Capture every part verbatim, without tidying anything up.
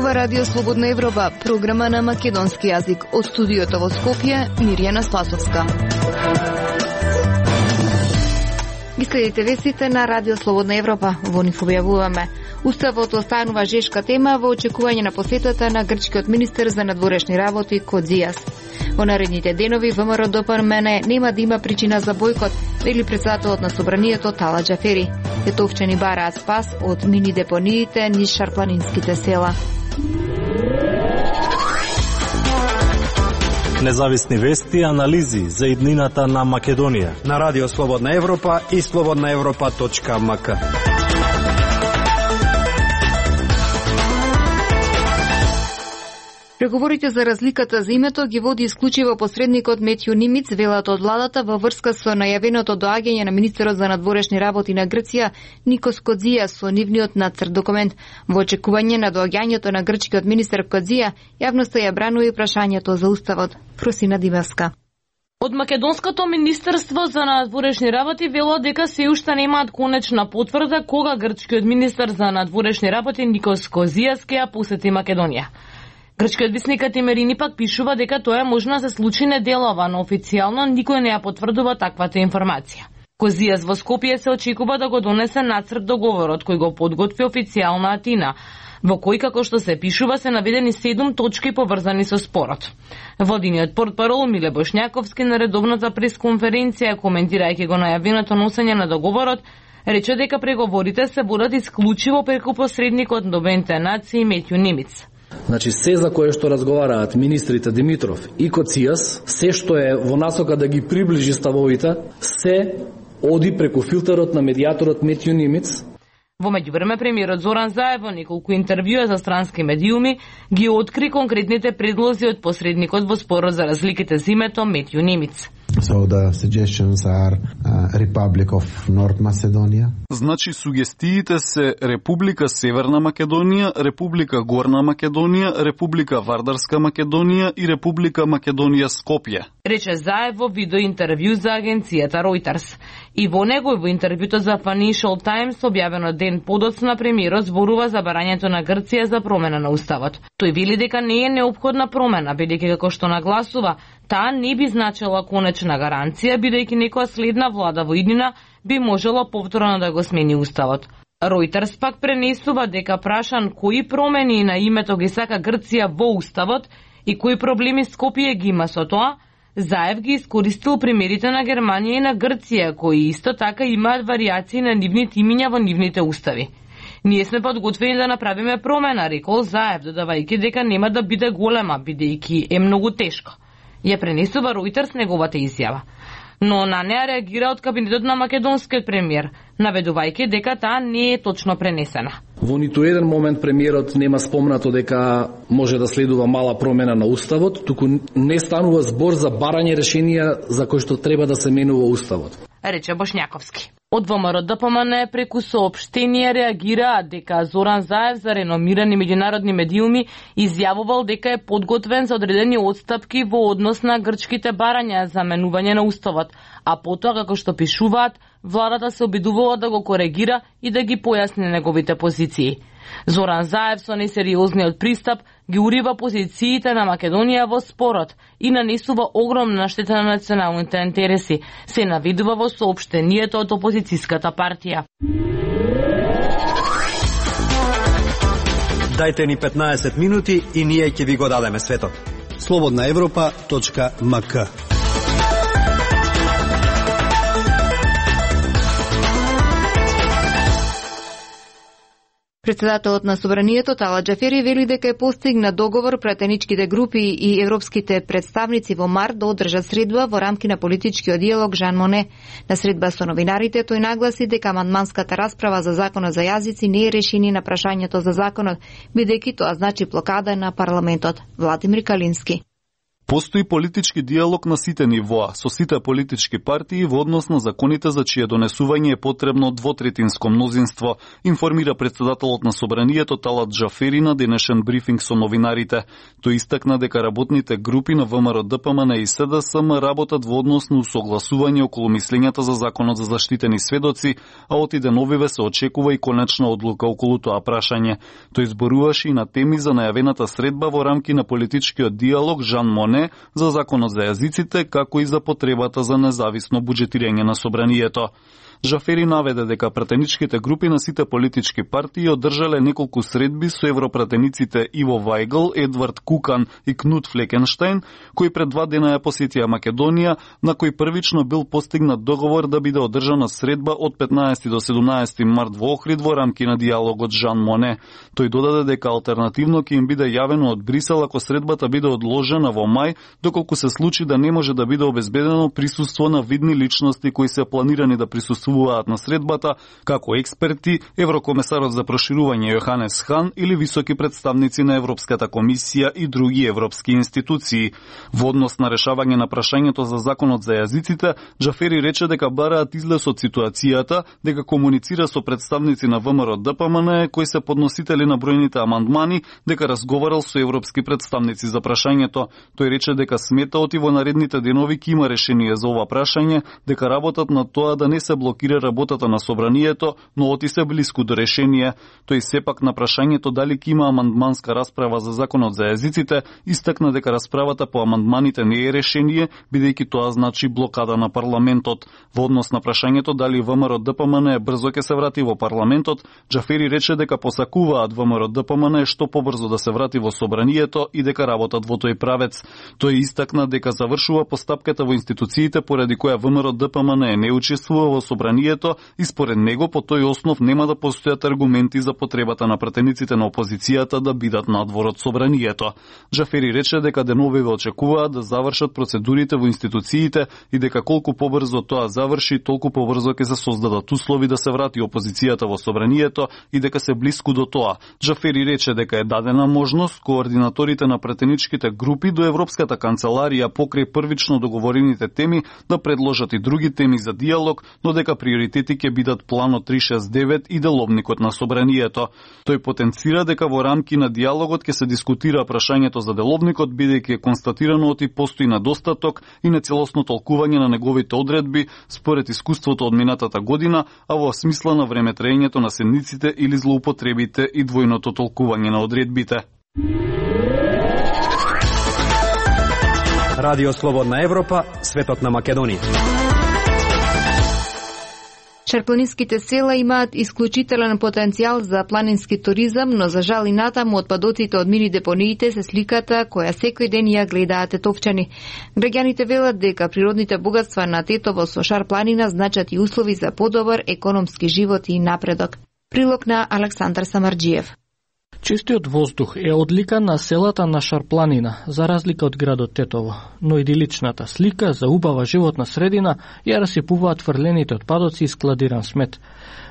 Ова Радио Слободна Европа, програма на македонски јазик. Од студиото во Скопје, Мирјана Спасовска. Ги следите вестите на Радио Слободна Европа. Во нив објавуваме: Уставот останува жешка тема во очекување на посетата на грчкиот министер за надворешни работи Кодзијас. Во наредните денови ВМРО Д П М Н нема да има причина за бојкот, вели претседателот на собранието Тала Џафери. Тетовчани бараат спас од мини депониите низ шарпланинските села. Независни вести и анализи за иднината на Македонија на Радио Слободна Европа и слободна европа точка м к. Преговорите за разликата за името ги води исклучиво посредникот Метју Нимиц, велат од владата во врска со најавеното доаѓање на министерот за надворешни работи на Грција Никос Кодзијас со нивниот нацрт документ. Во очекување на доаѓањето на грчкиот министер Кодзија, јавноста ја бранува и прашањето за уставот. Просина Димевска. Од Македонското министерство за надворешни работи велат дека се уште немаат конечна потврда кога грчкиот министер за надворешни работи Никос Кодзијас ќе ја посети Македонија. Грчкиот висник Атимерини пак пишува дека тоа е можно да се случи неделова, но официјално никој не ја потврдува таквата информација. Кодзијас во Скопје се очекува да го донесе нацрт договорот кој го подготви официјална Атина, во кој, како што се пишува, се наведени седум точки поврзани со спорот. Владиниот портпарол Миле Бошњаковски на редовната пресконференција, коментирајќи го најавеното носење на договорот, рече дека преговорите се водат исклучиво преку посредникот на Обединетите нации Метју Нимиц. Значи, се за кое што разговараат министрите Димитров и Кодзијас, се што е во насока да ги приближи ставовите, се оди преку филтерот на медијаторот Метју Нимиц. Во меѓувреме, премиерот Зоран Заев во неколку интервјуа за странски медиуми ги откри конкретните предлози од посредникот во спорот за разликите за името Метју Нимиц. So the suggestions are uh, Republic of North Macedonia. Значи сугестиите се Република Северна Македонија, Република Горна Македонија, Република Вардарска Македонија и Република Македонија Скопје. Рече Заев во видеоинтервју за агенцијата Reuters. И во него и во интервјуто за Financial Times објавено ден подоцна, премиерот зборува за барањето на Грција за промена на уставот. Тој вели дека не е неопходна промена, бидејќи како што нагласува, таа не би значила конечна гаранција, бидејќи некоја следна влада во иднина би можела повторно да го смени уставот. Reuters пак пренесува дека прашан кои промени на името ги сака Грција во уставот и кои проблеми Скопје ги има со тоа, Заев ги искористил примерите на Германија и на Грција, кои исто така имаат варијации на нивните имиња во нивните устави. Ние сме подготвени да направиме промена, рекол Заев, додавајќи дека нема да биде голема, бидејќи е многу тешко. Ја пренесува Reuters неговата изјава. Но на неа реагира од кабинетот на македонскиот премиер, наведувајќи дека таа не е точно пренесена. Во ниту еден момент премиерот нема спомнато дека може да следува мала промена на уставот, туку не станува збор за барање решенија за кои што треба да се менува уставот, рече Бошњаковски. Од ВМРО Д П М Н преку соопштенија реагираат дека Зоран Заев за реномирани меѓународни медиуми изјавувал дека е подготвен за одредени отстапки во однос на грчките барања за менување на уставот, а потоа, како што пишуваат, владата се обидувала да го коригира и да ги појасни неговите позиции. Зоран Заев со несериозниот пристап ги урива позициите на Македонија во спорот и нанесува огромна штета на националните интереси, се наведува во соопштението од опозицијската партија. Дајте ни петнаесет минути и ние ќе ви го дадеме светот. слободна европа точка м к. Претседателот на собранието Тала Џафери вели дека е постигнат договор пратеничките групи и европските представници во март да одржат средба во рамки на политичкиот диалог Жан Моне. На средба со новинарите тој нагласи дека амандманската расправа за законот за јазици не е решение на прашањето за законот, бидејќи тоа значи блокада на парламентот. Владимир Калински. Постои политички диалог на сите нивоа, со сите политички партии во однос на законите за чие донесување е потребно двотретинско мнозинство, информира председателот на Собранието Талат Джафери на денешен брифинг со новинарите. Тој истакна дека работните групи на ВМРО Д П М Н и С Д С М работат во однос на усогласување околу мислењата за законот за заштитени сведоци, а од иденовиве се очекува и конечна одлука околу тоа прашање. Тој зборуваше и на теми за најавената средба во рамки на политичкиот диалог Жан Моне за законот за јазиците, како и за потребата за независно буџетирање на Собранието. Джафери наведе дека пратеничките групи на сите политички партии одржале неколку средби со европратениците Иво Вајгл, Едвард Кукан и Кнут Флекенштајн, кои пред два дена ја посетија Македонија, на кој првично бил постигнат договор да биде одржана средба од петнаесети до седумнаесети март во Охрид во рамки на диалогот Жан Моне. Тој додаде дека алтернативно ќе им биде јавено од Брисел ако средбата биде одложена во мај, доколку се случи да не може да биде обезбедено присуство на видни личности кои се планирани да присуствуваат на средбата, како експерти, еврокомесарот за проширување Јоханес Хан или високи представници на Европската комисија и други европски институции. Во однос на решавање на прашањето за законот за јазиците, Джафери рече дека бараат излез од ситуацијата, дека комуницира со представници на ВМРО Д П М Н кои се подносители на бројните амандмани, дека разговарал со европски представници за прашањето. Тој рече дека смета оти во наредните денови ќе има решение за ова прашање, дека работат на тоа да не се блокира работата на Собранието, но оти се блиску до решение. Тој сепак на прашањето дали ќе има амандманска расправа за законот за јазиците, истакна дека расправата по амандманите не е решение, бидејќи тоа значи блокада на парламентот. Во однос на прашањето дали ВМРО Д П М Н брзо ќе се врати во парламентот, Джафери рече дека посакуваат ВМРО Д П М Н што побрзо да се врати во Собранието и дека работат во тој правец. Тој истакна дека завршува постапката во институциите поради која ВМРО Д П М Н не учествува во Собранието и според него по тој основ нема да постојат аргументи за потребата на пратениците на опозицијата да бидат надвор од Собранието. Джафери рече дека деновиве очекуваат да завршат процедурите во институциите и дека колку побрзо тоа заврши, толку побрзо ќе се создадат услови да се врати опозицијата во Собранието и дека се блиску до тоа. Джафери рече дека е дадена можност координаторите на пратеничките групи до Европската канцеларија покрај првично договорените теми да предложат и други теми за диалог, но дека приоритети ќе бидат планот триста шеснаесет девет и деловникот на Собранието. Тој потенцира дека во рамки на диалогот ќе се дискутира прашањето за деловникот, бидејќи е констатирано оти постои недостаток и нецелосно толкување на неговите одредби според искуството од минатата година, а во смисла на времетраењето на седниците или злоупотребите и двојното толкување на одредбите. Радио Слободна Европа, светот на Македонија. Шарпланинските села имаат исклучителен потенцијал за планински туризам, но за жал и натаму отпадоците од мини депониите се сликата која секој ден ја гледаат тетовчани. Граѓаните велат дека природните богатства на Тетово со Шарпланина значат и услови за подобар економски живот и напредок. Прилог на Александар Самарџиев. Чистиот воздух е одлика на селата на Шарпланина, за разлика од градот Тетово, но идиличната слика за убава животна средина ја расипуваат фрлените отпадоци и складиран смет.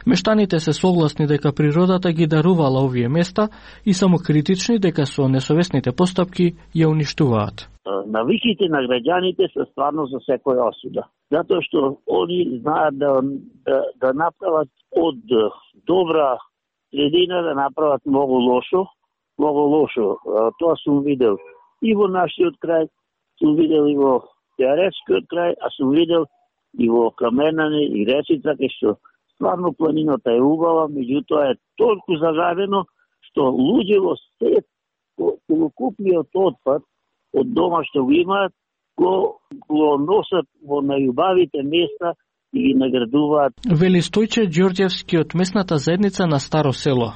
Мештаните се согласни дека природата ги дарувала овие места и самокритични дека со несовесните постапки ја уништуваат. Навиките на граѓаните се стварно за секоја осуда, затоа што они знаат да, да, да направат од добра средина да направат многу лошо, многу лошо. Тоа сум видел и во нашиот крај, сум видел и во Теаретскиот крај, а сум видел и во Каменане и Ресица, кај што стварно планината е убава, меѓутоа е толку загадено што луѓе во сет целокупниот отпад од дома што го имаат, го, го носат во најубавите места и ги наградуваат. Вели Стојче Ѓорѓевски од местната заедница на Старо село.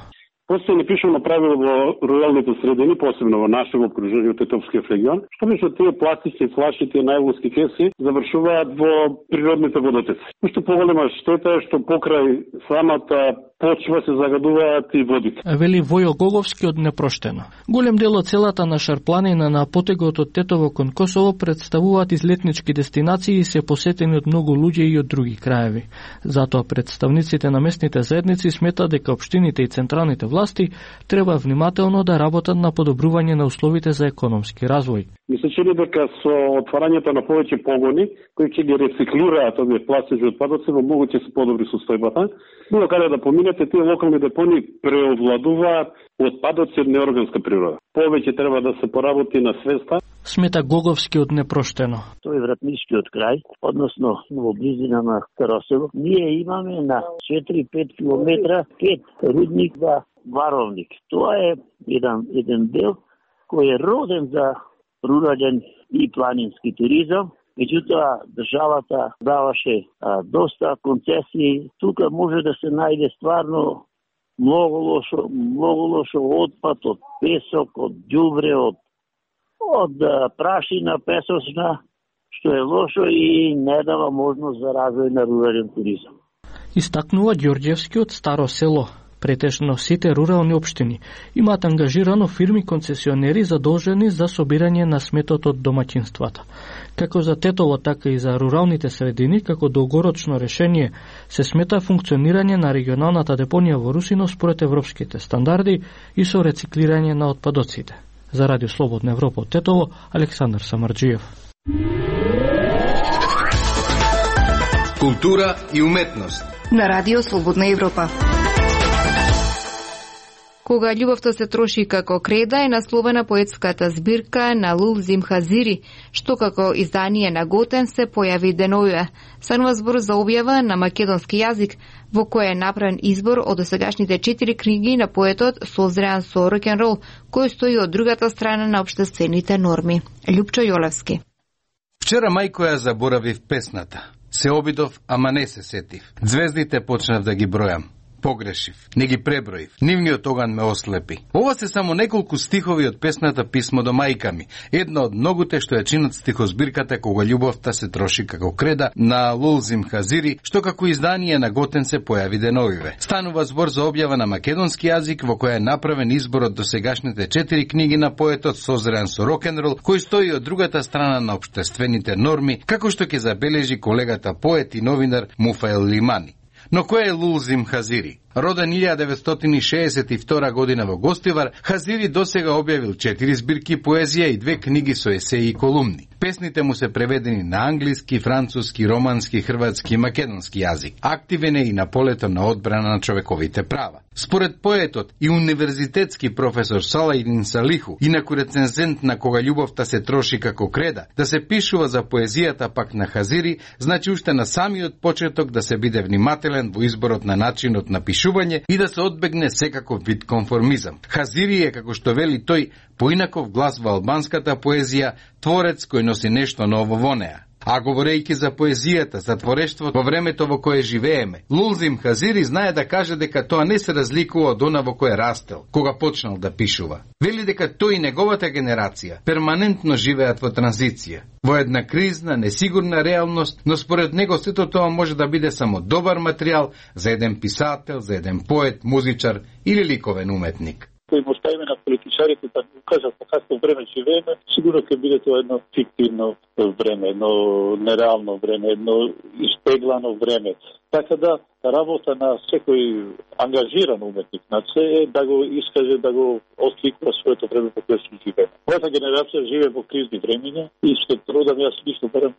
Постојано пишано правило во руралните средини, посебно во нашето окружение, Тетовскиот регион, што мисло тие пластични флаши, тие најлонски кеси завршуваат во природните водотоци. Што поголема штета е што покрај самата почва се загадуваат и водите. Вели Војо Гоговски од Непроштено. Голем дел од селата на Шарпланина на потегот од Тетово кон Косово представуваат излетнички дестинации и се посетени од многу луѓе и од други краеви. Затоа представниците на местните заедници сметаат дека општините и централните власти треба внимателно да работат на подобрување на условите за економски развој. Ми се чини дека со отварањето на повеќе погони кои ќе ги рециклираат овие пластични отпадоци во многу ќе се подобри состојбата. Било каде да поминете, тие локални депони преовладуваат отпадоци од неорганска природа. Повеќе треба да се поработи на свеста. Смета Гоговскиот непроштено. Тој е вратнишкиот крај, односно во близина на Старосело. Ние имаме на четири-пет километра пет рудник за варовник. Тоа е еден еден дел кој е роден за рурален и планински туризам. Меѓутоа, државата даваше а, доста концесии. Тука може да се најде стварно многу лошо, многу лошо отпад од песок, од ѓубре, од од прашина песочна, што е лошо и не дава можност за развој на рурален туризам. Истакнува Ѓорѓевскиот Старо село. Претежно сите рурални општини имаат ангажирано фирми концесионери задолжени за собирање на сметот од домаќинствата. Како за Тетово, така и за руралните средини, како долгорочно решение се смета функционирање на регионалната депонија во Русино според европските стандарди и со рециклирање на отпадоците. За Радио Слободна Европа од Тетово, Александар Самарџиев. Култура и уметност на Радио Слободна Европа. Кога љубовта се троши како креда е насловена поетската збирка на Лулзим Хазири, што како издание на Готен се појави деновиве. Станува збор за објава на македонски јазик, во кој е направен избор од досегашните четири книги на поетот созреан со рок-н-рол, кој стои од другата страна на општествените норми. Љупчо Јолевски. Вчера мајко ја заборавив песната. Се обидов, ама не се сетив. Звездите почнав да ги бројам. Погрешив, не ги преброив, нивниот оган ме ослепи. Ова се само неколку стихови од песната Писмо до мајка ми, една од многуте што ја чинат стихозбирката Кога љубовта се троши како креда на Лулзим Хазири, што како издание на Готен се појави деновиве. Станува збор за објава на македонски јазик во која е направен избор од досегашните четири книги на поетот созреан со рок-н-рол, кој стои од другата страна на општествените норми, како што ќе забележи колегата поет и новинар Муфаел Лимани. Но кој е Лулзим Хазири? Роден илјада деветстотини шеесет и втора година во Гостивар, Хазири досега објавил четири збирки поезија и две книги со есеи и колумни. Песните му се преведени на англиски, француски, романски, хрватски и македонски јазик. Активен е и на полето на одбрана на човековите права. Според поетот и универзитетски професор Салајдин Салиху, инаку рецензент на Кога љубовта се троши како креда, да се пишува за поезијата пак на Хазири, значи уште на самиот почеток да се биде внимателен во изборот на начинот на пишување и да се одбегне секаков вид конформизам. Хазири е, како што вели тој, поинаков глас во албанската поезија, творец кој носи нешто ново во неа. А говорејќи за поезијата, за творештвото во времето во кое живееме, Лулзим Хазири знае да каже дека тоа не се разликува од она во кое растел, кога почнал да пишува. Вели дека тој и неговата генерација перманентно живеат во транзиција, во една кризна, несигурна реалност, но според него сето тоа може да биде само добар материјал за еден писател, за еден поет, музичар или ликовен уметник. Кој му ставиме на политичарите да кажат на какво време живееме, сигурно ќе биде тоа едно фиктивно време, едно нереално време, едно испеглано време. Така да, работа на секој ангажиран уметник на се е да го искаже, да го осликува своето време во кое се живее. Мојата генерација живее во кризни времиња и што трудам јас лично барем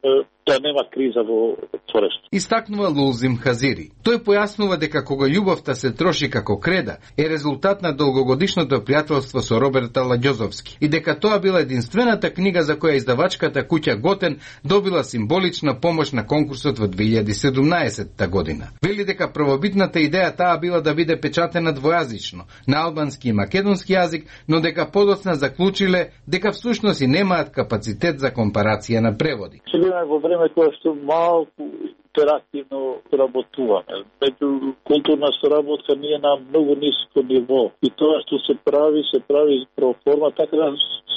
да нема криза во творештво. Истакнува Лулзим Хазири. Тој појаснува дека Кога љубовта се троши како креда е резултат на долгогодишното пријателство со Роберт Аладјозовски и дека тоа била единствената книга за која издавачката куќа Готен добила символична помош на конкурсот во две илјади и седумнаесетта година. Вели дека првобитната идеја таа била да биде печатена двојазично, на албански и македонски јазик, но дека подоцна заклучиле дека всушност и немаат капацитет за компарација на преводи. Живееме во време кое што малку интерактивно соработуваме. Меѓу културна соработка ние на многу ниско ниво. И тоа што се прави, се прави про форма, така да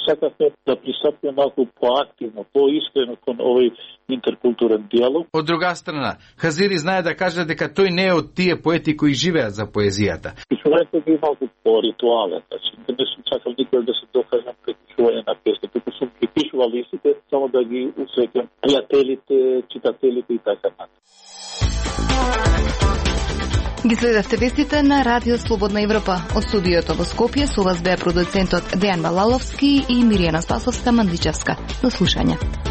сакаме да пристапиме малку поактивно, поискрено кон овој интеркултурен диалог. Од друга страна, Хазири знае да каже дека тој не е од тие поети кои живеат за поезијата. Пишувањето е малку по-ритуален, значи не сум чакал никој да се докажам пред пишување на песни, туку сум ги пишувал листите само да ги усреќам пријателите, читателите и така. Ги следевте вестите на Радио Слободна Европа. Од студиото во Скопје со вас беа продуцентот Дејан Балаловски и Миријана Спасовска Мандличевска. До слушање.